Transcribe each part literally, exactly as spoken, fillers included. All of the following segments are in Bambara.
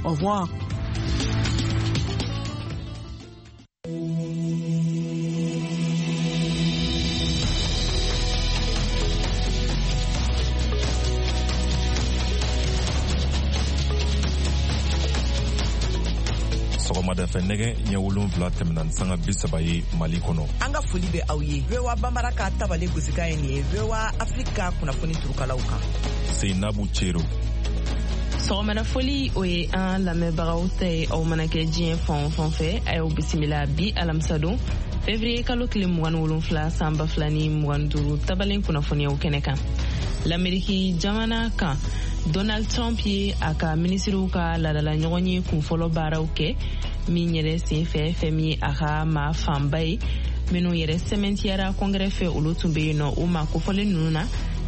Au revoir. Sɔgɔmada fɛ, nɛgɛ ɲɛ wolonfila tɛmɛna ni sanga bi saba ye Mali kɔnɔ. An ka foli bɛ aw ye. V O A Banbara ka tabale gosikan ye nin ye, V O A Afrique ka kunnafoni turukalaw kan. Seinabu Cero. Sɔgɔmada foli, o ye an lamɛnbagaw ta ye. Aw mana kɛ diɲɛ fan o fan fɛ, a y'aw bisimila bi alamisadon, fevrier kalo tile mugan ni wolonfila, san ba fila ni mugan duuru, tabalen kunnafoniyaw kɛnɛ kan. Lameriki jamana kan, Donald Trump ye a ka minisiriw ka ladala ɲɔgɔn ye kunfɔlɔ baaraw kɛ min yɛrɛ sen fɛ, fɛn min ye a ka maa fanba ye minnu yɛrɛ sɛmɛntiyara kɔngɛrɛ fɛ, olu tun bɛ yen nɔ. O maa kofɔlen ninnu na,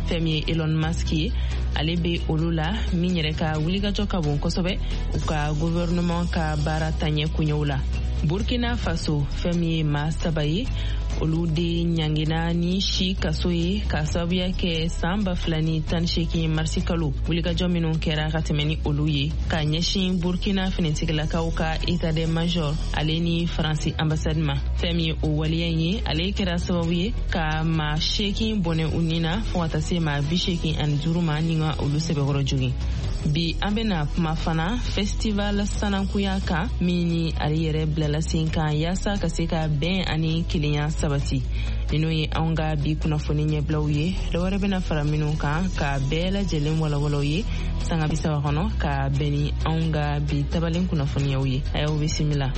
fɛn min ye Elon Musk ye, ale bɛ olu la, min yɛrɛ ka wulikajɔ ka bon kosɛbɛ u ka gouvernement ka baara taɲɛ koɲɛw la. Burkina Faso, fɛn min ye maa saba ye, olu de ɲangina ni si kaso ye ka sababuya kɛ san ba fila ni tan seegin marisi kalo wulikajɔ minnu kɛra ka tɛmɛ ni olu ye ka ɲɛsin Burkina finitigilakaw ka état de major ale ni Faransi ambassade ma. Fɛn min ye o waleya in ye, ale kɛra sababu ye ka maa seegin bɔnɛ u ni na, fɔɔ ka taa se maa bi seegin ani duuru ma ni ka olu sɛbɛkɔrɔ jogin. Bi, an bena kuma fana festival sanankuya kan, min ni ale yɛrɛ bilala sen kan yaasa ka se ka bɛn ani kelenya sabati. Ninnu ye anw ka bi kunnafoni ɲɛbilaw ye. Dɔwɛrɛ bena fara minnu kan ka bɛɛ lajɛlen walawalaw ye sanga bi saba kɔnɔ, ka bɛn ni anw ka bi tabalen kunnafoniyaw ye. A y'aw bisimila.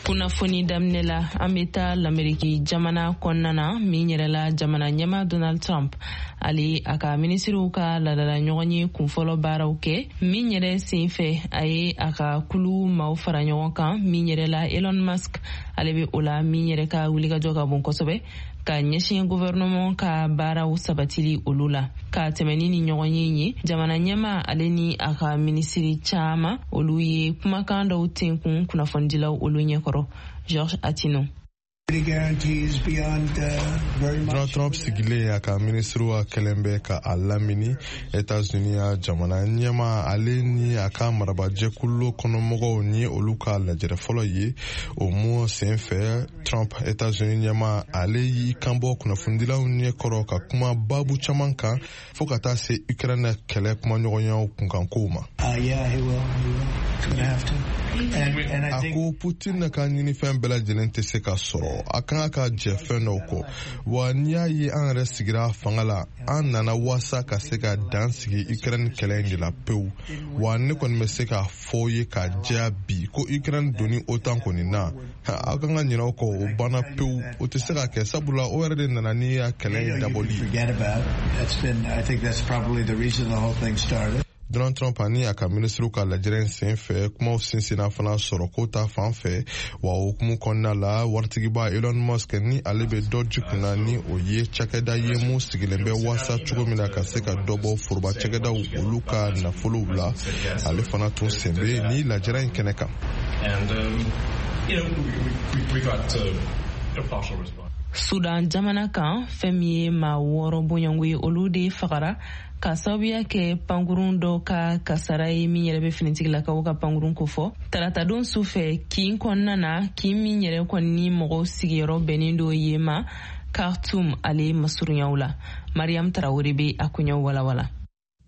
Kunnafoni daminɛ la, an bɛ taa Lameriki jamana kɔnɔna na, min yɛrɛ la jamana ɲɛma Donald Trump, ale a ka minisiriw ka ladala ɲɔgɔn ye kunfɔlɔ baaraw kɛ min yɛrɛ sen fɛ, a ye a ka kulu maaw fara ɲɔgɔn kan, min yɛrɛ la Elon Musk, ale bɛ o la, min yɛrɛ ka wulikajɔ ka bon kosɛbɛ ka ɲɛsin gouvernement ka baaraw sabatili olu la. Ka tɛmɛni ni ɲɔgɔn ye ye, jamana ɲɛma ale ni a ka minisiri caman, olu ye kumakan dɔw tenkun kunnafonidilaw olu ɲɛkɔrɔ. George Atino. Donald Trump sigilen a ka minisiriw ka kɛlen bɛ ka a lamini Etats-Unis ya jamana ɲɛma, ale ni a ka marabajɛkulu kɔnɔmɔgɔw ni olu ka lajɛrɛ fɔlɔ ye. O mun sen fɛ, Trump, Etats-Unis ɲɛma, ale y'i kanbɔ kunnafonidilaw ɲɛkɔrɔ ka kuma babu caman kan, fɔɔ ka taa se Ukraine kɛlɛ kumaɲɔgɔnyaw kunkankow ma. A ko Putin ka ɲinifɛn bɛɛ lajɛlen tɛ se ka sɔrɔ, a kan ka jɛ fɛn dɔw kɔ. Wa n'i y'a ye an yɛrɛ sigira fanga la, an nana waasa ka se ka dan sigi Ukraine kɛlɛ in de la pewu. Wa ne kɔni bɛ se k'a fɔ ye ka jɛya bi ko Ukraine donni OTAN kɔni na, aw kan ka ɲinɛ o kɔ, o banna pewu, o tɛ se ka kɛ, sabula o yɛrɛ de nana ni ya kɛlɛ in dabɔli ye. Donald Trump ani a ka minisiriw ka lajɛrɛ in sen fɛ, kumaw sinsinna fana sɔrɔko ta fan fɛ. Wa hukumu kɔnɔna la, waritigiba Elon Musk, ni ale bɛ dɔ ji kunna, ni o ye cakɛda ye mun sigilen bɛ waasa cogo min na ka se ka dɔ bɔ foroba cakɛdaw olu ka nafolow la, ale fana tun sen bɛ ni lajɛrɛ in kɛnɛ kan. And, um, you know, we, we, we got uh, a partial response. Sudan jamana kan, fɛn min ye maa wɔɔrɔ bɔɲɔgɔnko ye, olu de fagara ka sababuya kɛ pankurun dɔ ka kasara ye, min yɛrɛ bɛ finitigilakaw ka pankurun kofɔ taratadon su fɛ kin kɔnɔna na, kin min yɛrɛ kɔni ni mɔgɔw sigiyɔrɔ bɛnnen do yen ma Khartoum ale masurunyaw la. Mariam Tarawele bɛ a koɲɛw walawala.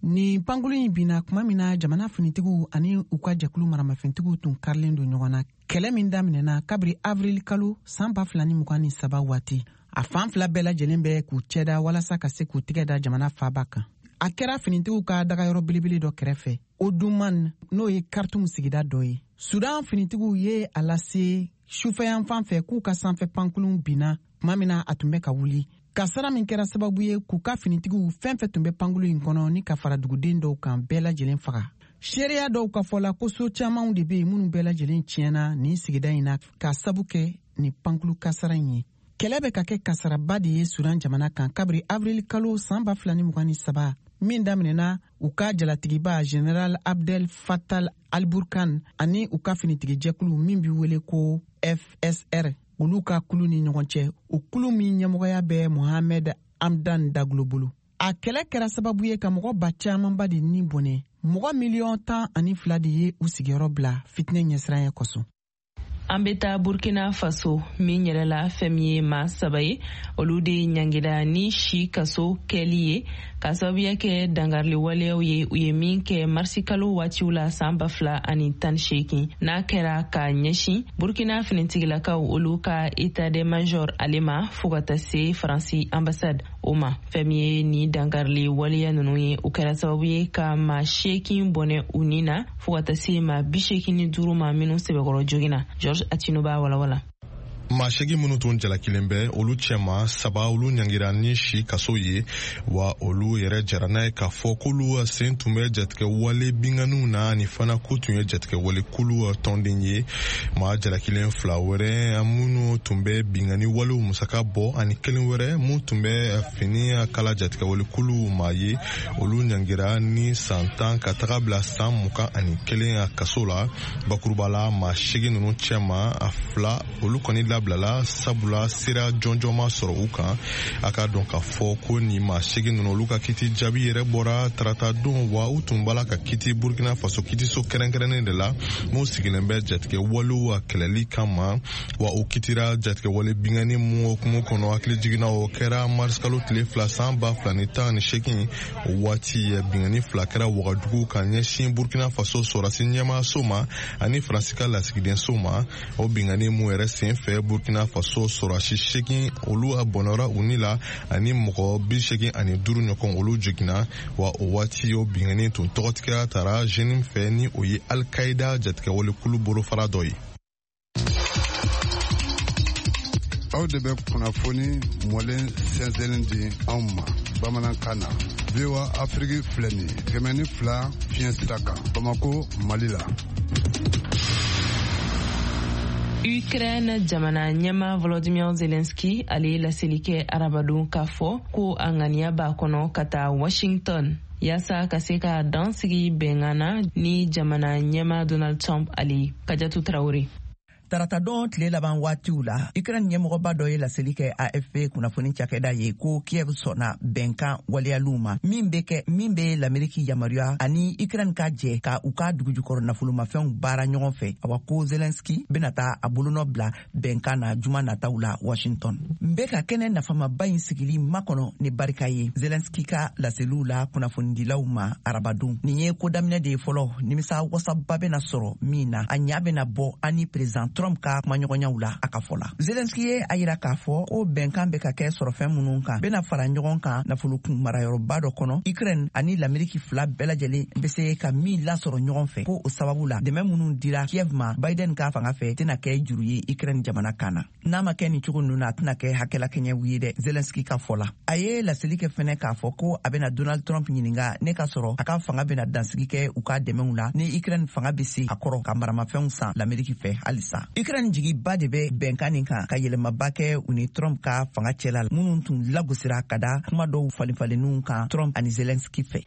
Nin pankulu in binna kuma min na jamana finitigiw ani u ka jɛkulu maramafɛntigiw tun karilen don ɲɔgɔn na, kɛlɛ min daminɛna kabiri avril kalo san ba fila ni mugan ni saba waati. A fan fila bɛɛ lajɛlen bɛ k'u cɛda walasa ka se k'u tigɛ da jamana faaba kan. A kɛra finitigiw ka dagayɔrɔ belebele dɔ kɛrɛfɛ Oduman, n'o ye Kartum sigida dɔ ye. Sudan finitigiw ye a lase sufɛyanfan fɛ k'u ka sanfɛ pankulun binna tuma min na a tun bɛ ka wuli. Kasara min kɛra sababu ye k'u ka finitigiw fɛn fɛn tun bɛ pankulu in kɔnɔ ni ka fara duguden dɔw kan, bɛɛ lajɛlen faga. Seereya dɔw ka fɔ la ko so camanw de be yen minnu bɛɛ lajɛlen tiɲɛna nin sigida in na k'a sabu kɛ nin pankulu kasara in ye. Kɛlɛ bɛ ka kɛ kasaraba de ye Sudan jamana kan kabiri avril kalo san ba fila ni mugan ni saba. min daminɛna u ka jalatigiba General Abdel Fattah al-Burhan ani u ka finitigijɛkulu min bɛ wele ko F S R, olu ka kulu ni ɲɔgɔn cɛ, o kulu min ɲɛmɔgɔya bɛ Mohamed Hamdan Daglo bolo. A kɛlɛ kɛra sababu ye ka mɔgɔ ba camanba de ni bɔnɛ, mɔgɔ miliyɔn tan ani fila de ye u sigiyɔrɔ bila fitinɛ ɲɛsiranya kosɔn. An bɛ taa Burkina Faso min yɛrɛ la fɛn min ye maa saba ye, olu de ɲangira ni si kaso kɛli ye ka sababuya kɛ dangarili waleyaw ye u ye min kɛ marisikalo waatiw la san ba fila ani tan seegin n'a kɛra ka ɲɛsin Burkina finitigilakaw olu ka état de major ale ma fo ka taa se Faransi ambassade o ma. Fɛn min ye ni dangarili waleya ninnu ye, o kɛra sababu ye ka maa seegin bɔnɛ u ni na fo ka taa se maa bi seegin ni duuru ma minnu sɛbɛkɔrɔ joginna. George Atino b'a walawala. Maa seegin minnu tun jalakilen bɛ, olu cɛma saba olu ɲangira ni si kaso ye, wa olu yɛrɛ jara n'a ye k'a fɔ k'olu sen tun bɛ jatigɛwale binkanniw na ani fana k'u tun ye jatigɛwale kulu tɔnden ye. Maa jalakilen fila wɛrɛ minnu tun bɛ binkanni walew musaka bɔ ani kelen wɛrɛ mun tun bɛ fini kala jatigɛwale kulu maa ye, olu ɲangira ni san tan ka taga bila san mugan ani kelen kaso la. Bakuruba la, maa seegin ninnu cɛma a fila olu kɔni labilala sabula sira jɔnjɔn ma sɔrɔ u kan. A k'a dɔn k'a fɔ ko nin maa seegin ninnu olu ka kiti jaabi yɛrɛ bɔra tarata don, wa u tun b'a la ka kiti Burkina Faso kitiso kɛrɛnkɛrɛnnen de la mun sigilen bɛ jatigɛ walew kɛlɛli kama, wa o kitira jatigɛ wale binkanni mun hukumu kɔnɔ. Hakili jiginna o kɛra marisikalo tile fila san ba fila ni tan ni seegin, o waati binkanni fila kɛra Wagadugu ka ɲɛsin Burkina Faso sɔrɔdasi ɲɛmaaso ma ani Faransi ka lasigidenso ma. O binkanni mun yɛrɛ sen fɛ Burkina Faso sɔrɔdasi seegin olu bɔnɛra u ni la ani mɔgɔ bi seegin ani duuru ɲɔgɔn olu jiginna, wa o waati o binkanni tun tɔgɔtigiya tara Jenim fɛ ni o ye Al-Qaïda jatigɛwalekulu bolofara dɔ ye. Aw de bɛ kunnafoni mɔlen sɛnsɛnlen di anw ma bamanankan na. V O A Afrique filɛ nin ye kɛmɛ ni fila fiɲɛ sira kan Bamako, Mali la. Ukraine jamana ɲɛma Volodymyr Zelensky ale ye laseli kɛ arabadon k'a fɔ ko a ŋaniya b'a kɔnɔ ka taa Washington yaasa ka se ka dan sigi bɛnkan na ni jamana ɲɛma Donald Trump ale ye. Kajatu Traore. Taratadon tile laban waatiw la, Ukraine ɲɛmɔgɔba dɔ ye laseli kɛ A F P kunnafoni cakɛda ye ko Kiev sɔnna bɛnkan waleyaliw ma min bɛ kɛ min bɛ l'Ameriki yamaruya ani Ukraine ka jɛ ka u ka dugujukɔrɔ nafolomafɛnw baara ɲɔgɔn fɛ. Awa ko Zelensky bɛna taa a bolonɔ bila bɛnkan na juma nataw la Washington. N bɛ ka kɛnɛ nafamaba in sigili makɔnɔ ni barika ye, Zelensky ka laseliw la kunnafonidilaw ma arabadon. Nin ye ko daminɛ de ye fɔlɔ, nimisa wasaba bɛna sɔrɔ min na, a ɲa bɛna bɔ ani président Trump ka kumaɲɔgɔnyaw la a ka fɔ la. Zelensky ye a yira k'a fɔ ko bɛnkan bɛ ka kɛ sɔrɔfɛn minnu kan bɛna fara ɲɔgɔn kan nafolokun marayɔrɔba dɔ kɔnɔ, Ukraine ani l'Ameriki fila bɛɛ lajɛlen bɛ se ka min lasɔrɔ ɲɔgɔn fɛ. Ko o sababu la, dɛmɛ minnu dira Kiev ma Biden ka fanga fɛ tɛna kɛ juru ye Ukraine jamana kan na. N'a ma kɛ nin cogo ninnu na, a tɛna kɛ hakɛlakɛɲɛw ye dɛ, Zelensky ka fɔ la. A ye laseli kɛ fɛnɛ k'a fɔ ko a bɛna Donald Trump ɲininka ne ka sɔrɔ a ka fanga bɛna dansigi kɛ u ka dɛmɛw la ni Ukraine fanga bɛ se a kɔrɔ ka maramafɛnw san l'Ameriki fɛ halisa. Ukraine jigiba de bɛ bɛnkan nin kan ka yɛlɛmaba kɛ u ni Trump ka fanga cɛla la, minnu tun lagosira ka da kuma dɔw falenfalenninw kan Trump ani Zelensky fɛ.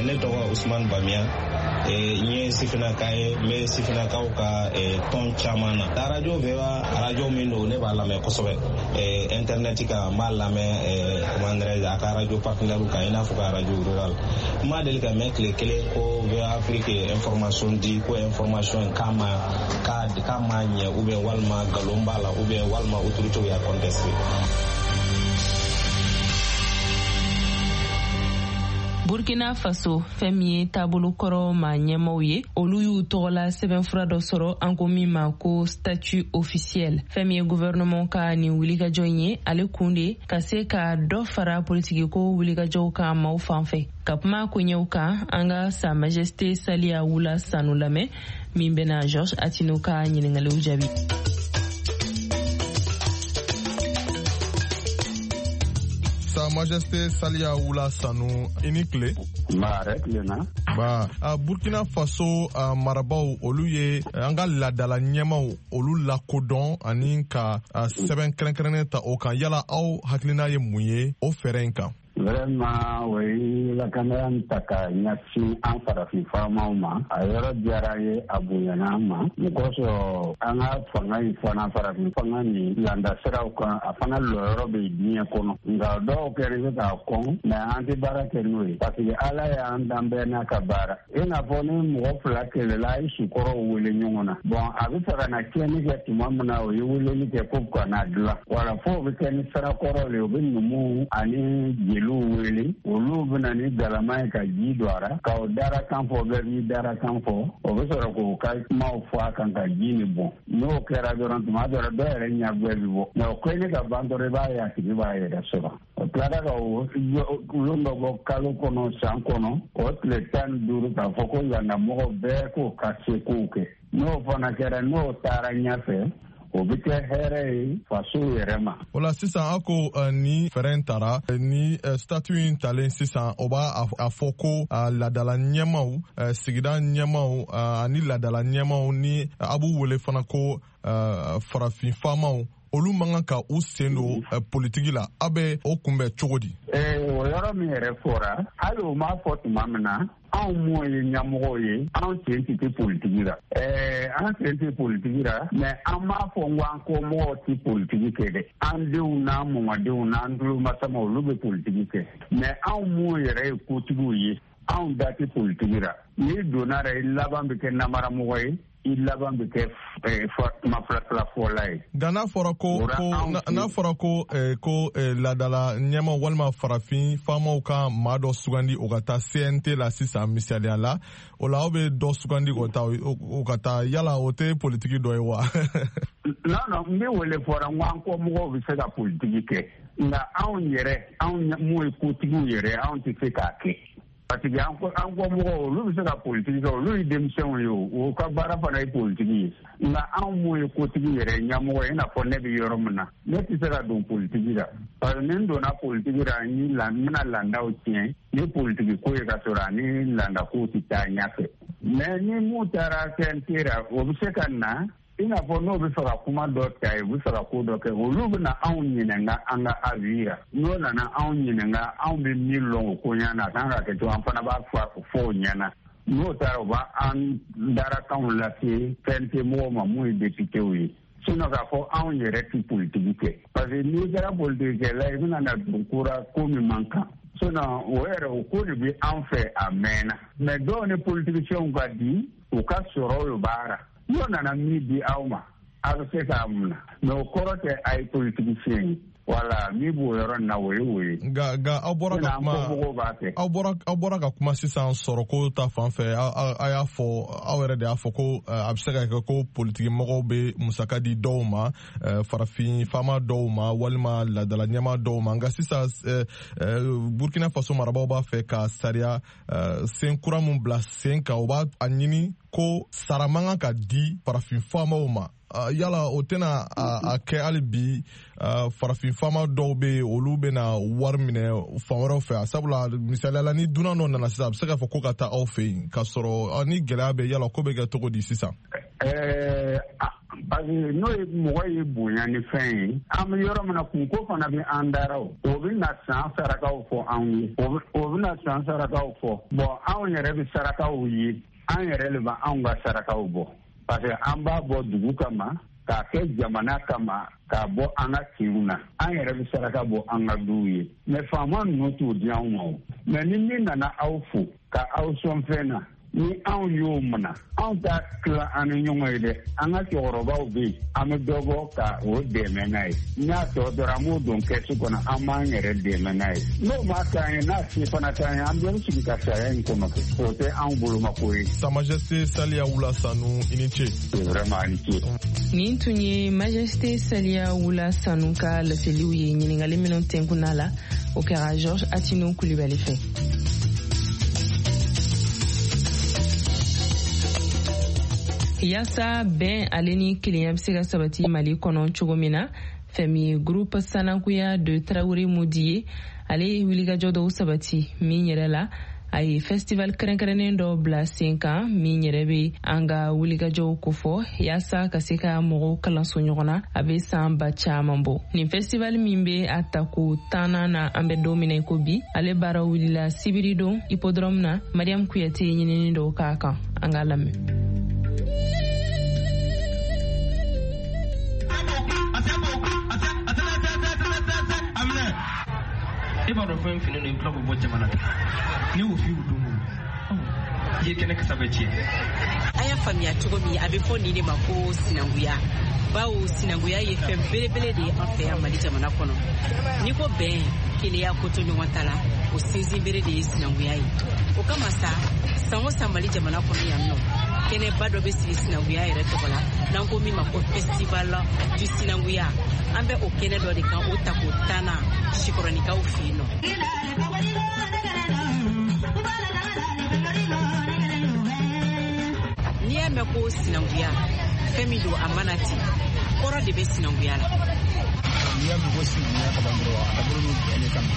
Ne tɔgɔ Usman Bamiya, n ye sifinnaka ye, n bɛ sifinnakaw ka tɔn caman na. Arajo V O A arajo min don, ne b'a lamɛn kosɛbɛ internet kan, n b'a lamɛn comment dirais-je a ka arajo partenaire kan i n'a fɔ ka arajo rural. N ma deli ka mɛn tile kelen ko V O A Afrique ye information di ko information k'a ma k'a ma ɲɛ ou bien walima nkalon b'a la ou bien walima autorité y'a contesté. Burkina Faso fɛn min ye taabolo kɔrɔ maa ɲɛmaw ye, olu y'u tɔgɔla sɛbɛnfura dɔ sɔrɔ an ko min ma ko statut officiel. Fɛn min ye gouvernement ka nin wulikajɔ in ye, ale kun de ka se ka dɔ fara politikiko wulikajɔw kan maaw fan fɛ. Ka kuma koɲɛw kan, an ka Sa Majesté Saliya Wula Sanu lamɛn min bɛna Georges Atino ka ɲininkaliw jaabi. Sa Majesté Saliya Wula Sanu, i ni tile. Nba, hɛrɛ tilenna. Ba Burkina Faso marabaw olu ye an ka laadala ɲɛmaw olu lakodɔn ani ka sɛbɛn kɛrɛnkɛrɛnnen ta o kan, yala aw hakilina ye mun ye o fɛɛrɛ in kan? Vraiment, o ye lakanaya in ta ka ɲɛsin an farafin faamaw ma, a yɔrɔ diyara an ye, a bonyana an ma. Mun kosɔn, an ka fanga in fana, farafin fanga nin landa siraw kan, a fana lɔyɔrɔ bɛ diɲɛ kɔnɔ. Nka dɔw kɛra se k'a kɔn, mais an tɛ baara kɛ n'o ye, parce que Ala y'an dan bɛɛ n'a ka baara. I n'a fɔ ni mɔgɔ fila kɛlɛla, a ye sukɔrɔw wele ɲɔgɔn na. Bon, a bɛ fɛ ka na tiɲɛni kɛ tuma min na, o ye weleli kɛ ko ka n'a dilan. Wala fo o bɛ kɛ ni sirakɔrɔ de ye, o bɛ numuw ani jeliw wele, olu bɛna ni galama ye ka ji don a ra, k'o darakan fɔ, bɛɛ b'i darakan fɔ, o bɛ sɔrɔ k'o ka kumaw fɔ a kan ka ji nin bɔn. N'o kɛra dɔrɔn, tuma dɔ la dɔw yɛrɛ ɲɛguwɛ bɛ bɔ, mais o kɛlen ka ban dɔrɔn, i b'a ye a tigi b'a yɛrɛ sɔrɔ. O tilara ka o lon dɔ bɔ kalo kɔnɔ, san kɔnɔ, o tile tan ni duuru, k'a fɔ ko landamɔgɔ bɛɛ k'o ka sekow kɛ. N'o fana kɛra, n'o taara ɲɛfɛ, o bɛ kɛ hɛrɛ ye faso yɛrɛ ma. O la sisan, aw ko ni fɛɛrɛ in tara, ni statut in talen sisan, o b'a a fɔ ko laadala ɲɛmaw, sigida ɲɛmaw ani laadala ɲɛmaw, ni a b'u wele fana ko farafin faamaw, olu man kan ka u sen don politiki la. Aw bɛ o kunbɛn cogo di? O yɔrɔ min yɛrɛ fɔra, hali o m'a fɔ tuma min na, anw m'o ye ɲɛmɔgɔw ye, anw sen tɛ tɛ politiki la. Ɛɛ an sen tɛ politiki la, mais an m'a fɔ n ko an kɔmɔgɔw tɛ politiki kɛ dɛ. An denw n'an mɔmadenw n'an tulomasamaw, olu bɛ politiki kɛ. Mais anw m'o yɛrɛ ye kotigiw ye, anw da tɛ politiki la. N'i donna la, i laban bɛ kɛ namaramɔgɔ ye, i laban bɛ kɛ kuma fila fila fɔla ye. Nka n'a fɔra ko ko n'a fɔra ko ko laadala ɲɛmaw walima farafin faamaw ka maa dɔ sugandi o ka taa C N T la sisan, misaliya la, o la aw bɛ dɔ sugandi k'o taa o ka taa, yala o tɛ politiki dɔ ye wa? Non non, n bɛ wele fɔra n ko an kɔmɔgɔw bɛ se ka politiki kɛ, nka anw yɛrɛ, anw mun ye kotigiw yɛrɛ, anw tɛ se k'a kɛ. Parce que an kɔmɔgɔw, olu bɛ se ka politiki kɛ, olu ye denmisɛnw ye, o ka baara fana ye politiki ye. Nka anw mun ye kotigi yɛrɛ ɲɛmɔgɔ ye, i n'a fɔ ne bɛ yɔrɔ min na, ne tɛ se ka don politiki la. Parce que ni n donna politiki la, n bɛna landaw tiɲɛ ni politiki ko ye, ka sɔrɔ ani landakow tɛ taa ɲɛfɛ. Mais ni mun taara C N T la, o bɛ se ka na, i n'a fɔ n'o bɛ fɛ ka kuma dɔ ta ye, u bɛ fɛ ka ko dɔ kɛ, olu bɛna anw ɲininka an ka avis la. N'o nana anw ɲininka, anw bɛ min lɔn o ko ɲɛna, a kan ka kɛ cogo, an fana b'a fɔ o ɲɛna. N'o taara, u b'an darakanw lase C N T mɔgɔw ma mun ye députéw ye. Sinon k'a fɔ anw yɛrɛ tɛ politiki kɛ. Parce que n'i kɛra politikikɛla ye, i bɛna na don ko la ko min man kan. Sinon o yɛrɛ, o ko de bɛ an fɛ a mɛnna. Mais dɔw ni politiciens ka di, u ka sɔrɔ o baara. N'o nana min di aw ma, a bɛ se k'a munna. Mais o kɔrɔ tɛ a ye politicien ye. Wala min b'o yɔrɔ in na, o ye o ye. Nka nka aw bɔra ka kuma, aw bɔra aw bɔra ka kuma sisan sɔrɔko ta fan fɛ, a y'a fɔ, aw yɛrɛ de y'a fɔ ko a bɛ se ka kɛ ko politiki mɔgɔw bɛ musaka di dɔw ma, farafin faama dɔw ma walima laadala ɲɛmaa dɔw ma. Nka sisan Burkina Faso marabaaw b'a fɛ ka sariya sen kura mun bila sen kan, o b'a a ɲini ko sara man kan ka di farafin faamaw ma. Yala o tɛna a kɛ hali bi farafin faama dɔw bɛ yen, olu bɛna wari minɛ fan wɛrɛw fɛ? Sabula misaliya la, ni dunan dɔ nana sisan, a bɛ se k'a fɔ ko ka taa aw fɛ yen, k'a sɔrɔ ni gɛlɛya bɛ, yala ko bɛ kɛ cogo di sisan? Parce que n'o ye mɔgɔ ye bonya ni fɛn ye, an bɛ yɔrɔ min na, kunko fana bɛ an dara, o o bɛ na san sarakaw fɔ anw ye, o bɛ na san sarakaw fɔ. Bon, anw yɛrɛ bɛ sarakaw ye, an yɛrɛ de bɛ anw ka sarakaw bɔ. Parce que an b'a bɔ dugu kama, k'a kɛ jamana kama, k'a bɔ an ka kinw na. An yɛrɛ bɛ saraka bɔ an ka duw ye. Mais faama ninnu t'o di anw ma o. Mais ni min nana aw fo ka aw sɔn fɛn na, ni anw y'o minɛ, anw t'a tila an ni ɲɔgɔn ye dɛ. An ka cɛkɔrɔbaw bɛ yen, an bɛ dɔ bɔ ka o dɛmɛ n'a ye. N'a tɔ dɔrɔn, an b'o don kɛsu kɔnɔ, an b'an yɛrɛ dɛmɛ n'a ye. N'o ma k'an ye, n'a se fana t'an ye, an bɛ sigi ka sariya in kɔnɔ kɛ. O tɛ anw bolomako ye. Sa Majesté Salia Wula Sanu, i ni ce. Vraiment, i ni ce. Nin tun ye Majesté Salia Wula Sanu ka laseliw ye. Ɲininkali minnu tɛnkunna la, o kɛra Georges Atino Kulibali fɛ. Yaasa bɛn ale ni kelenya bɛ se ka sabati Mali kɔnɔ cogo min na, fɛn min ye groupe Sanakuya de Tarawele Modi ye, ale ye wulikajɔ dɔw sabati min yɛrɛ la, A ye festival kɛrɛnkɛrɛnnen dɔ bila sen kan min yɛrɛ bɛ an ka wulikajɔw kofɔ yaasa ka se ka mɔgɔw kalanso ɲɔgɔn na a bɛ san ba caman bɔ. Nin festival min bɛ a tako tannan na an bɛ don min na i ko bi, ale baara wulila sibiridon hippodrome na. Mariam Kuyate ye ɲinini dɔw k'a kan, an k'a lamɛn. E b'a dɔn fɛn fini don i bɛ tila k'o bɔ jamana ta ne y'o f'i y'o don o i ye kɛnɛ kasa bɛɛ tiɲɛ. An y'a faamuya cogo min, a bɛ fɔ nin de ma ko sinankunya, bawo sinankunya ye fɛn belebele de ye an fɛ yan Mali jamana kɔnɔ. N'i ko bɛn, kelenya, ko to ɲɔgɔn ta la, o sinsinbere de ye sinankunya ye. O kama sa, san o san Mali jamana kɔnɔ yan nɔ, kɛnɛba dɔ bɛ sigi sinankunya yɛrɛ tɔgɔ la n'an ko min ma ko festival du sinankunya. An bɛ o kɛnɛ dɔ de kan, o tako tannan Sikɔrɔnikaw fɛ yen nɔ. N'i y'a mɛn ko sinankunya, fɛn min don a mana ten, kɔrɔ de bɛ sinankunya la. N'i y'a mɛn ko sinankunya ka ban dɔrɔn, a dabɔlen don bɛn de kama.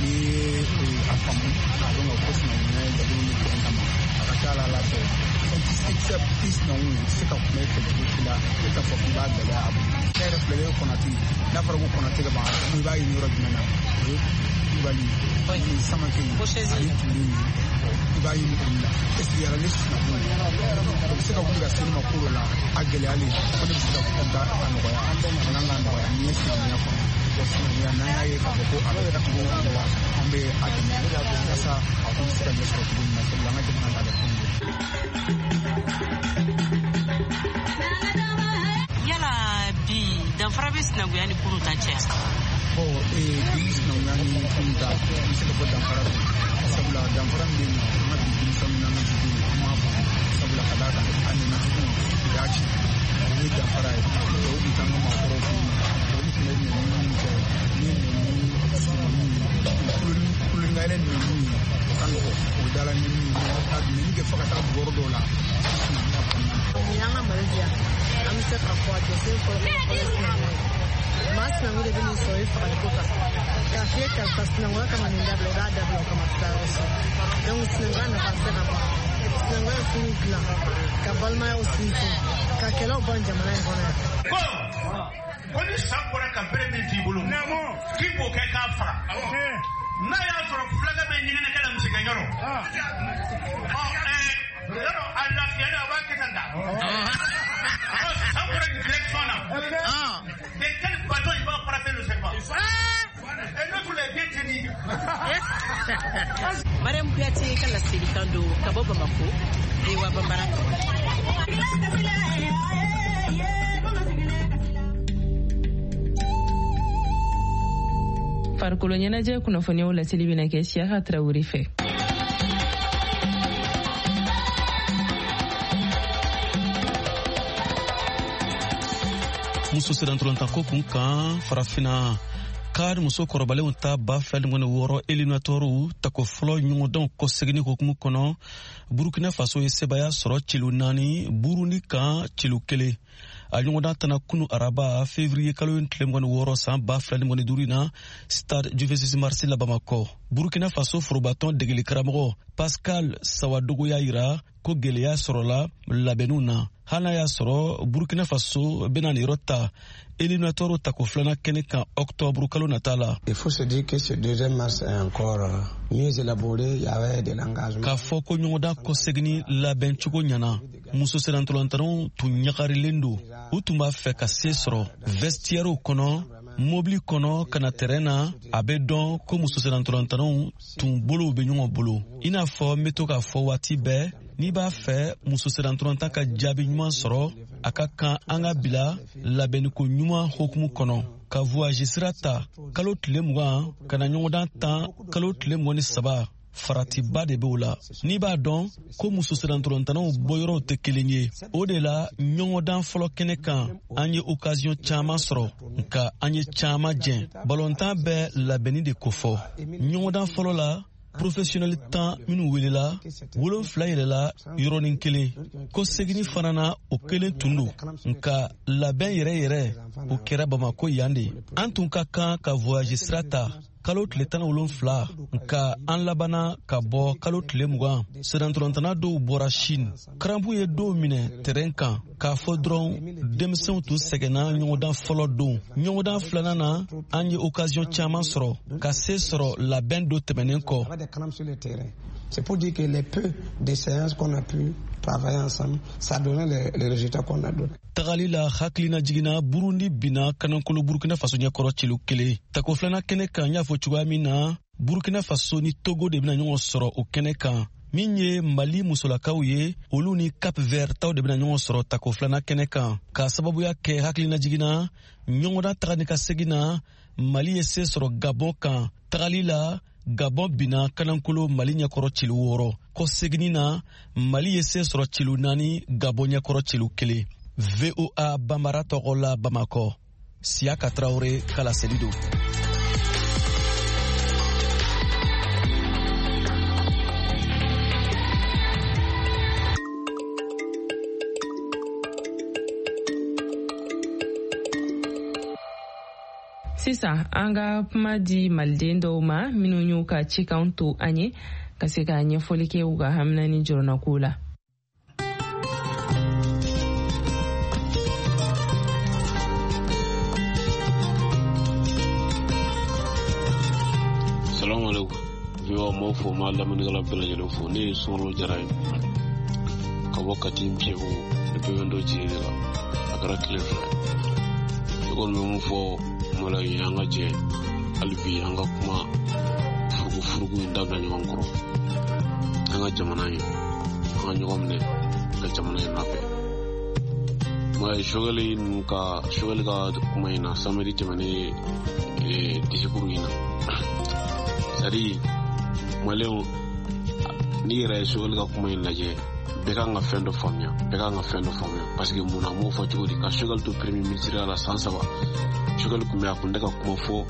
N'i ye a faamu k'a dɔn k'a fɔ sinankunya ye dabɔlen don bɛn kama, a ka ca la ala fɛ fɛn tɛ se i sinankun tɛ se ka kuma e fɛ cogo si la e t'a fɔ k'i b'a gɛlɛya a bolo. Ne yɛrɛ filɛ, ne ye Kɔnate ye. N'a fɔra ko Kɔnate ka ban, i b'a ɲini yɔrɔ jumɛn na? O ye Kulubali ni Samakɛ ani Ture ninnu, i b'a ɲini olu la. Est ce que yala ne sinankun o bɛ se ka wuli ka se ne ma ko dɔ la a gɛlɛyalen ko ne bɛ se ka a nɔgɔya, a kan k'a nɔgɔya ni ye sinankunya kɔnɔ. Sinankunya n'an y'a ye k'a fɔ ko a bɛ cogo o la, an bɛ a dɛmɛ walasa a ko bɛ se ka ɲɛ sɔrɔ cogo min na, sabula an ka jamana laada fɛnw don. Yala bi danfara bɛ sinankunya ni kunun ta cɛ? Bon, bi sinankunya ni kunun ta, n bɛ se ka fɔ danfara bɛ yen, sabula danfara min bɛ yen nɔ, an ka bi denmisɛnninw n'an ka bidenw an m'a faamu, sabula ka d'a kan a nana cogo u y'a ci, o ye danfara ye. Dɔw bɛ taa an ka maakɔrɔw fɛ yen nɔ, olu tun bɛ nɛni minnu kɛ, ni nɛni surunmaninw ye, kulonkɛ nɛniw ye, o ka nɔgɔn, o dala nɛniw ye, ka nɛni kɛ fo ka taa yɔrɔ dɔw la sinankunya kɔnɔna na. Nin y'an ka Mali di yan, an bɛ se k'a fɔ a jɔsen fɔlɔ fɔlɔ ye sinankunya ye. Maa sinankun de bɛ n'i sɔrɔ i fagaliko kan k'a f'i ye karisa sinankunya kama nin dabila, i b'a dabila o kama taa yɔrɔ si. Donc sinankunya nafa tɛ se ka ban. Sinankunya ye furu dilan, ka balimayaw sinsin, ka kɛlɛw ban jamana in kɔnɔ yan. Ko ko ni san bɔra ka bere min t'i bolo, k'i b'o kɛ k'a faga. N'a y'a sɔrɔ fulakɛ bɛ ɲɛgɛnɛkɛ la misigɛnyɔrɔ, ɔ ɛɛ yɔrɔ a lafiyalen a b'a kɛ tan ta. Ɔ san bɔra direction na. De quel bâton il va frapper le serpent? Et l'autre est bien tenu. Mariam Kuyate ka laselikan don ka bɔ Bamako, V O A Bambara tɔgɔ la. Farikolo ɲɛnajɛ kunnafoniyaw laseli bɛna kɛ Siyaka Tarawele fɛ. Muso sirantolontanko kun kan farafinna kari muso kɔrɔbalenw ta ba fila ni mugan ni wɔɔrɔ éliminatoires tako fɔlɔ ɲɔgɔndanw kɔseginni hukumu kɔnɔ, Burkina Faso ye sebaya sɔrɔ celu naani Burundi kan celu kelen. A ɲɔgɔndan tana kunu araba février kalo tile mugan ni wɔɔrɔ san ba fila ni mugan ni duuru na stade du vingt-six mars la Bamakɔ. Burkina Faso forobatɔn degeli karamɔgɔ Pascal Sawadogo y'a yira ko gɛlɛya sɔrɔla labɛnniw na, hali n'a y'a sɔrɔ Burkina Faso bɛna nin yɔrɔ ta éliminatoire tako filanan kɛnɛ kan octobre kalo nata la. Il faut se dire que ce deuxième mars est encore mieux élaboré, il y avait de l'engagement. K'a fɔ ko ɲɔgɔndan kɔseginni labɛncogo ɲɛna, muso sennantolantanaw tun ɲagarilen don, u tun b'a fɛ ka se sɔrɔ vestiaire kɔnɔ, mobili kɔnɔ ka na terrain na. A bɛ dɔn ko muso sennantolantanaw tun bolow bɛ ɲɔgɔn bolo. I n'a fɔ n bɛ to k'a fɔ waati bɛɛ, n'i b'a fɛ muso sennantolatan ka jaabi ɲuman sɔrɔ, a ka kan an ka bila labɛnniko ɲuman hukumu kɔnɔ, ka voyage sira ta kalo tile mugan ka na ɲɔgɔndan tan kalo tile mugan ni saba. Faratiba de b'o la. N'i b'a dɔn ko muso sennantolantanaw bɔyɔrɔw tɛ kelen ye, o de la ɲɔgɔndan fɔlɔ kɛnɛ kan an ye occasion caman sɔrɔ, nka an ye caman jɛn. Balontan bɛ labɛnni de kofɔ. Ɲɔgɔndan fɔlɔ la, professionnel tan minnu welela, wolonfila yɛlɛla yɔrɔnin kelen. Ko seginni fana na o kelen tun don, nka labɛn yɛrɛ yɛrɛ o kɛra Bamako yan de. An tun ka kan ka voyage sira ta kalo tile tan ni wolonfila, nka an labanna ka bɔ kalo tile mugan. Sennantolatan dɔw bɔra Chine. Karanpu ye dɔw minɛ terrain kan k'a fɔ dɔrɔn denmisɛnw tun sɛgɛnna ɲɔgɔndan fɔlɔ don. Ɲɔgɔndan filanan na, an ye occasion caman sɔrɔ ka se sɔrɔ labɛn dɔ tɛmɛnen kɔ. C'est pour dire que les peu de séances qu'on a pu travailler ensemble, ça donnait les, les résultats qu'on a donnés. Tagali la hakilina jiginna, Burundi binna kanankolo Burkina Faso ɲɛkɔrɔ celu kelen. Tako filanan kɛnɛ kan, n y'a fɔ cogoya min na, Burkina Faso ni Togo de bɛna ɲɔgɔn sɔrɔ o kɛnɛ kan. Min ye Mali musolakaw ye, olu ni Cap Vert taw de bɛna ɲɔgɔn sɔrɔ tako filanan kɛnɛ kan. K'a sababuya kɛ hakilina jiginna, ɲɔgɔndan taga ni ka segin na, Mali ye se sɔrɔ Gabon kan. Tagali la, Gabon binna kanankolo Mali ɲɛkɔrɔ celu wɔɔrɔ. Kɔ seginni na, Mali ye se sɔrɔ celu naani, Gabon ɲɛkɔrɔ celu kelen. V O A Bambara tɔgɔ la Bamakɔ, Siyaka Tarawele ka laseli don. Sisan an ka kuma di maliden dɔw ma minnu y'u ka cikanw to an ye ka se ka ɲɛfɔli kɛ u ka hamina ni jɔrɔnako la. Salamu alaikum. V O A m'aw fo, m'a lamɛnnikɛla bɛɛ lajɛlen fo. Ne ye Sunkalo Jara ye ka bɔ Kati Npiyebugu, ne bɛɛ bɛ n dɔn Jigi de la. A kɛra tile fila ye. Ne kɔni bɛ mun fɔ Mali ye, an ka jɛ hali bi an ka kuma furugufurugu in dabila ɲɔgɔn kɔrɔ. An ka jamana ye, an ka ɲɔgɔn minɛ ka jamana in labɛn. Mali Sogɛli ninnu ka Sogɛli ka kuma in na samedi tɛmɛnen discours in na. C'est-à-dire maliyɛnw, n'i yɛrɛ ye Sogɛli ka kuma in lajɛ, bɛɛ kan ka fɛn dɔ faamuya, bɛɛ kan ka fɛn dɔ faamuya. Parce que mun na, an b'o fɔ cogo di ka Sogɛli to premier ministre la san saba. Sogɛli kun bɛ a kun tɛ ka kuma fɔ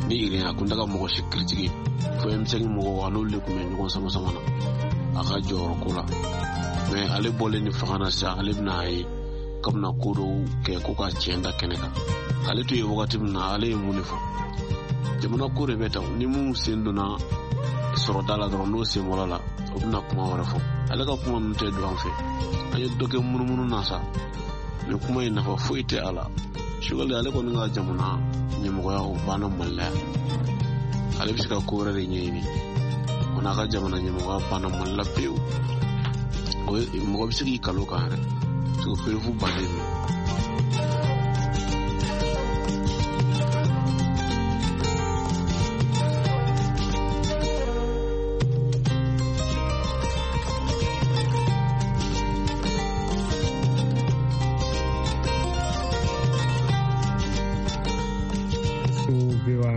ni yɛrɛ, a kun tɛ ka mɔgɔ si critiquer. Fo M cinq mɔgɔw a n'olu de kun bɛ ɲɔgɔn sama sama na a ka jɔyɔrɔ ko la. Mais ale bɔlen ni fanga na sisan, ale bɛna a ye k'a bɛna ko dɔw kɛ ko ka tiɲɛ da kɛnɛ kan. Ale to yen wagati min na, ale ye mun de fɔ? Jamana ko de bɛ tan, ni mun sen donna sɔrɔda la dɔrɔn, n'o sen bɔra la, o bɛna kuma wɛrɛ fɔ. Ale ka kuma ninnu tɛ don an fɛ. An ye dɔ kɛ munumunu na sa, nin kuma in nafa foyi tɛ a la. Sogɛli ale kɔni ka jamana ɲɛmɔgɔya o banna Mali la yan. Ale bɛ se ka ko wɛrɛ de ɲɛɲini. O n'a ka jamana ɲɛmɔgɔya banna Mali la pewu. O ye mɔgɔ bɛ se k'i kalo kan yɛrɛ. Parce que perefu bannen don.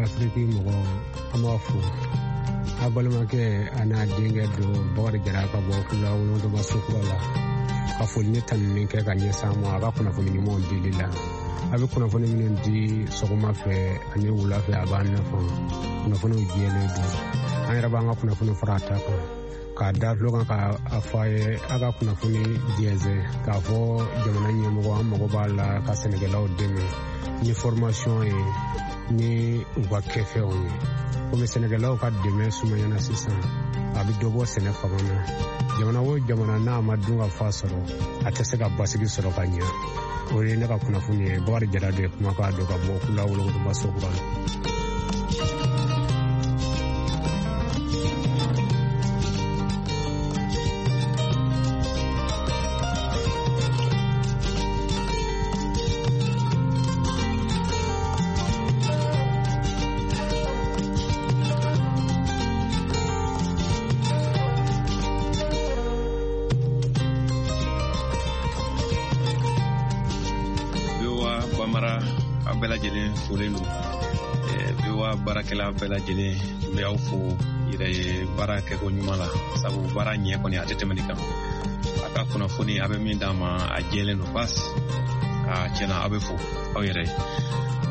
Afiriki mɔgɔ, an b'a fo a balimakɛ a n'a denkɛ don Bakari Jara ka bɔ Kula Wolonwula Sokura la ka foli ni tanuni kɛ ka ɲɛsin an ma a ka kunnafoni ɲumanw dili la. A bɛ kunnafoni minnu di sɔgɔma fɛ ani wula fɛ, a b'an nafa. Kunnafoniw jɛlen don, an yɛrɛ b'an ka kunnafoni fara a ta kan k'a da tulo kan k'a fɔ a ye a ka kunnafoni jɛnsɛn k'a fɔ jamana ɲɛmɔgɔ an mago b'a la ka sɛnɛkɛlaw dɛmɛ ni formation ye ni u ka kɛfɛnw ye. Komi sɛnɛkɛlaw ka dɛmɛ sumayana sisan, a bɛ dɔ bɔ sɛnɛ fanga na. Jamana o jamana n'a ma dun ka fa sɔrɔ, a tɛ se ka basigi sɔrɔ ka ɲɛ. O ye ne ka kunnafoni ye. Bakari Jara de ye kumakan don ka bɔ Kula Wolonwula Sokura la. Folen don V O A baarakɛla bɛɛ lajɛlen, n bɛ aw fo yɛrɛ ye baara kɛko ɲuman la, sabu baara ɲɛ kɔni a tɛ tɛmɛ nin kan. A ka kunnafoni a bɛ min d'an ma a jɛlen don basi, a tiɲɛna aw bɛ fo aw yɛrɛ ye.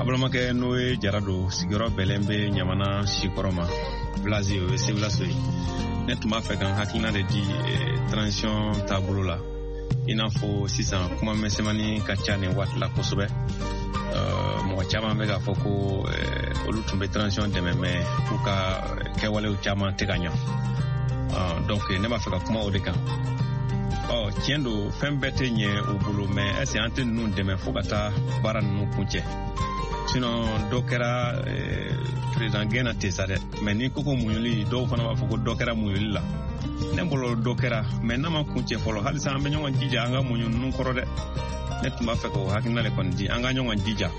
A balimakɛ n'o ye Jara don, sigiyɔrɔ bɛlɛn bɛ Ɲamana Sikɔrɔ ma, village o ye Sebulaso ye. Ne tun b'a fɛ ka n hakilina de di transition taabolo la. I n'a fɔ sisan kuma misɛnmanin ka ca nin waati la kosɛbɛ. Mɔgɔ caman bɛ k'a fɔ ko olu tun bɛ transition dɛmɛ mais k'u ka kɛwalew caman tɛ ka ɲa. Donc ne b'a fɛ ka kuma o de kan. Ɔ tiɲɛ don, fɛn bɛɛ tɛ ɲɛ u bolo, mais est ce que an tɛ ninnu dɛmɛ fo ka taa baara ninnu kuncɛ? Sinon dɔ kɛra président gɛn na ten sa dɛ, mais ni ko ko muɲuli, dɔw fana b'a fɔ ko dɔ kɛra muɲuli la. Ne bolo dɔ kɛra, mais n'a ma kuncɛ fɔlɔ, halisa an bɛ ɲɔgɔn jija an ka muɲu ninnu kɔrɔ dɛ. Ne tun b'a fɛ k'o hakilina de kɔni di, an ka ɲɔgɔn jija.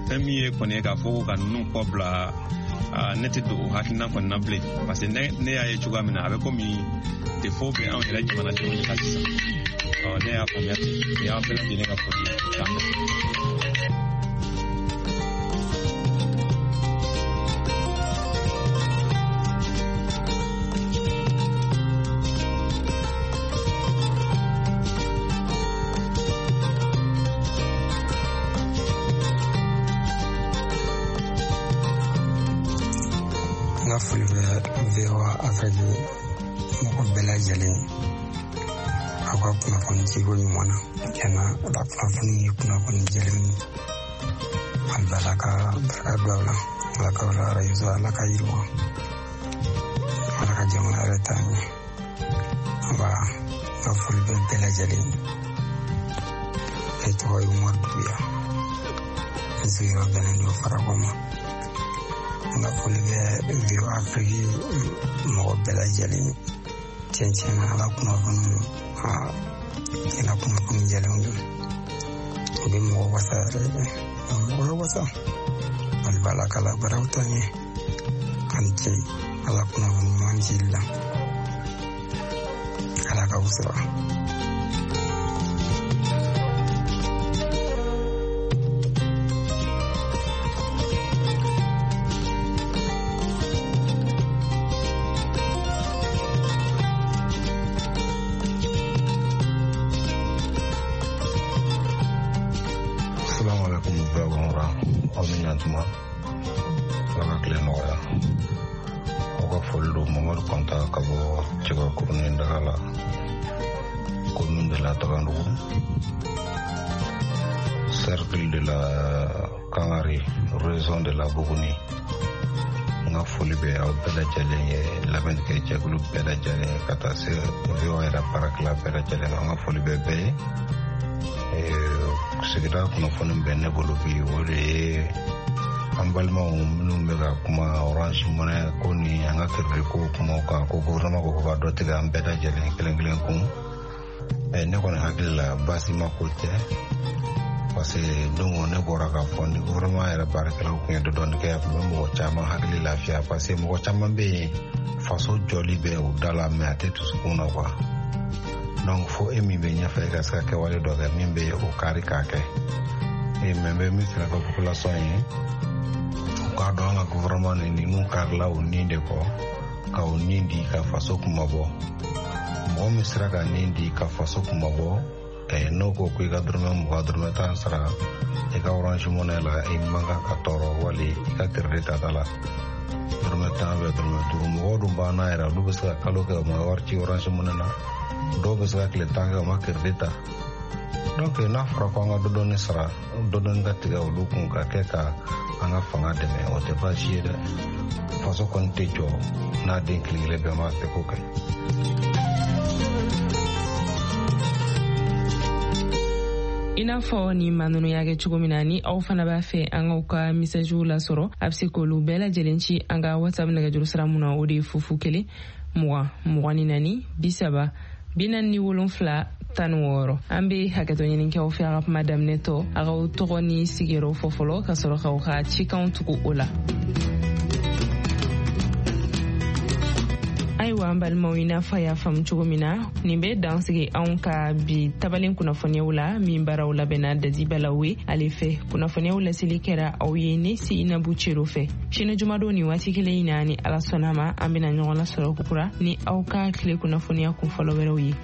Fɛn min ye kɔni ye k'a fɔ ko ka ninnu kɔ bila, ne tɛ don o hakilina kɔni na bilen, parce que ne ne y'a ye cogoya min na, a bɛ komi défaut bɛ anw yɛrɛ jamanadenw de la sisan. Ɔ ne y'a faamuya ten, nin y'aw bɛɛ lajɛlen ka foli ye. K'an bɛn. N ka foli bɛ V O A Afrique mɔgɔ bɛɛ lajɛlen, aw ka kunnafoni ciko ɲuman na. Tiɲɛna, la kunnafoni ye kunnafoni jɛlen ye. Hali bi Ala ka barika don aw la, Ala k'aw la arajo, Ala ka yiriwa, Ala ka jamana yɛrɛ taa ɲɛ. Nba, n ka foli bɛ bɛɛ lajɛlen ye. Ne tɔgɔ ye Umaru Duguya, n sigiyɔrɔ bɛnnen don Farakɔ ma. N ka foli bɛ V O A Afrique mɔgɔ bɛɛ lajɛlen ye. Tiɲɛ tiɲɛna, ala kunnafoni, tiɲɛna kunnafoni jɛlenw don. U bɛ mɔgɔ wasa yɛrɛ de, u bɛ mɔgɔ wasa. Hali bi Ala k'a la baaraw taa ɲɛ. A ni ce, ala kunnafoni ɲuman cili la. Ala k'aw sara. Aw ni ɲantuma, Ala ka tile nɔgɔya. Aw ka foli don Mamadu Kɔnta ka bɔ Cɛbakurunin daga la, commune de la Tagandugu, cercle de la Kangari, région de la Bougouni. N ka foli bɛ aw bɛɛ lajɛlen ye, lamɛnnikɛ jɛkulu bɛɛ lajɛlen ye, ka taa se V O A yɛrɛ baarakɛla bɛɛ lajɛlen ma. N ka foli bɛ bɛɛ ye. Sigida kunnafoni bɛ ne bolo bi, o de ye an balimaw minnu bɛ ka kuma Orange Money ko ni an ka crédit ko kumaw kan, ko gouvernement ko ka dɔ tigɛ an bɛɛ lajɛlen kelen kelen kun. Ne kɔni hakili la baasi ma ko tɛ, parce que don ne bɔra k'a fɔ ni gouvernement yɛrɛ baarakɛlaw kun ye dɔ dɔɔni kɛ, a tun bɛ mɔgɔ caman hakili lafiya, parce que mɔgɔ caman bɛ yen faso jɔli bɛ u da la, mais a tɛ dusukun na quoi. Donc fo e min bɛ ɲɛfɛ, e ka se ka kɛwale dɔ kɛ min bɛ o kari k'a kɛ. E mɛ n bɛ min fana fɔ population ye, u k'a dɔn an ka gouvernement ni ninnu karila o nin de kɔ, ka o nin di ka faso kunmabɔ. Mɔgɔ min sera ka nin di ka faso kunmabɔ, n'o ko ko i ka dɔrɔmɛ mugan dɔrɔmɛ tan sara i ka Orange Money la, i man kan ka tɔɔrɔ, wali i ka crédit tata la dɔrɔmɛ tan bɛ dɔrɔmɛ duuru. Mɔgɔw dun b'an na yɛrɛ, olu bɛ se ka kalo kɛ u ma wari ci Orange Money na, dɔw bɛ se ka tile tan kɛ u ma crédit ta. Donc n'a fɔra ko an ka dɔ dɔɔni sara, dɔ dɔɔni ka tigɛ olu kun ka kɛ ka an ka fanga dɛmɛ, o tɛ baasi ye dɛ. Faso kɔni tɛ jɔ n'a den kelen kelen bɛɛ m'a seko kɛ. I n'a fɔ ni maa ninnu y'a kɛ cogo min na, ni aw fana b'a fɛ an k'aw ka misajiw lasɔrɔ, a bɛ se k'olu bɛɛ lajɛlen ci an ka WhatsApp nɛgɛjuru sira mun na, o de ye fufu kelen mugan mugan ni naani bi saba bi naani ni wolonfila tan ni wɔɔrɔ. An bɛ hakɛtɔ ɲini k'aw fɛ a ka kuma daminɛ tɔ, a k'aw tɔgɔ ni sigiyɔrɔ fɔ fɔlɔ ka sɔrɔ k'aw ka cikanw tugu o la. Ayiwa an balimaw, i n'a fɔ a y'a faamu cogo min na, nin bɛ dan sigi anw ka bi tabalen kunnafoniyaw la min baaraw labɛnna Dadi Balawe ale fɛ. Kunnafoniyaw laseli kɛra aw ye ne Seyinabu Cero fɛ. Sini jumadon nin waati kelen in na, ni Ala sɔnna ma, an bɛna ɲɔgɔn lasɔrɔ kokura ni aw ka tile kunnafoniya kunfɔlɔ wɛrɛw ye.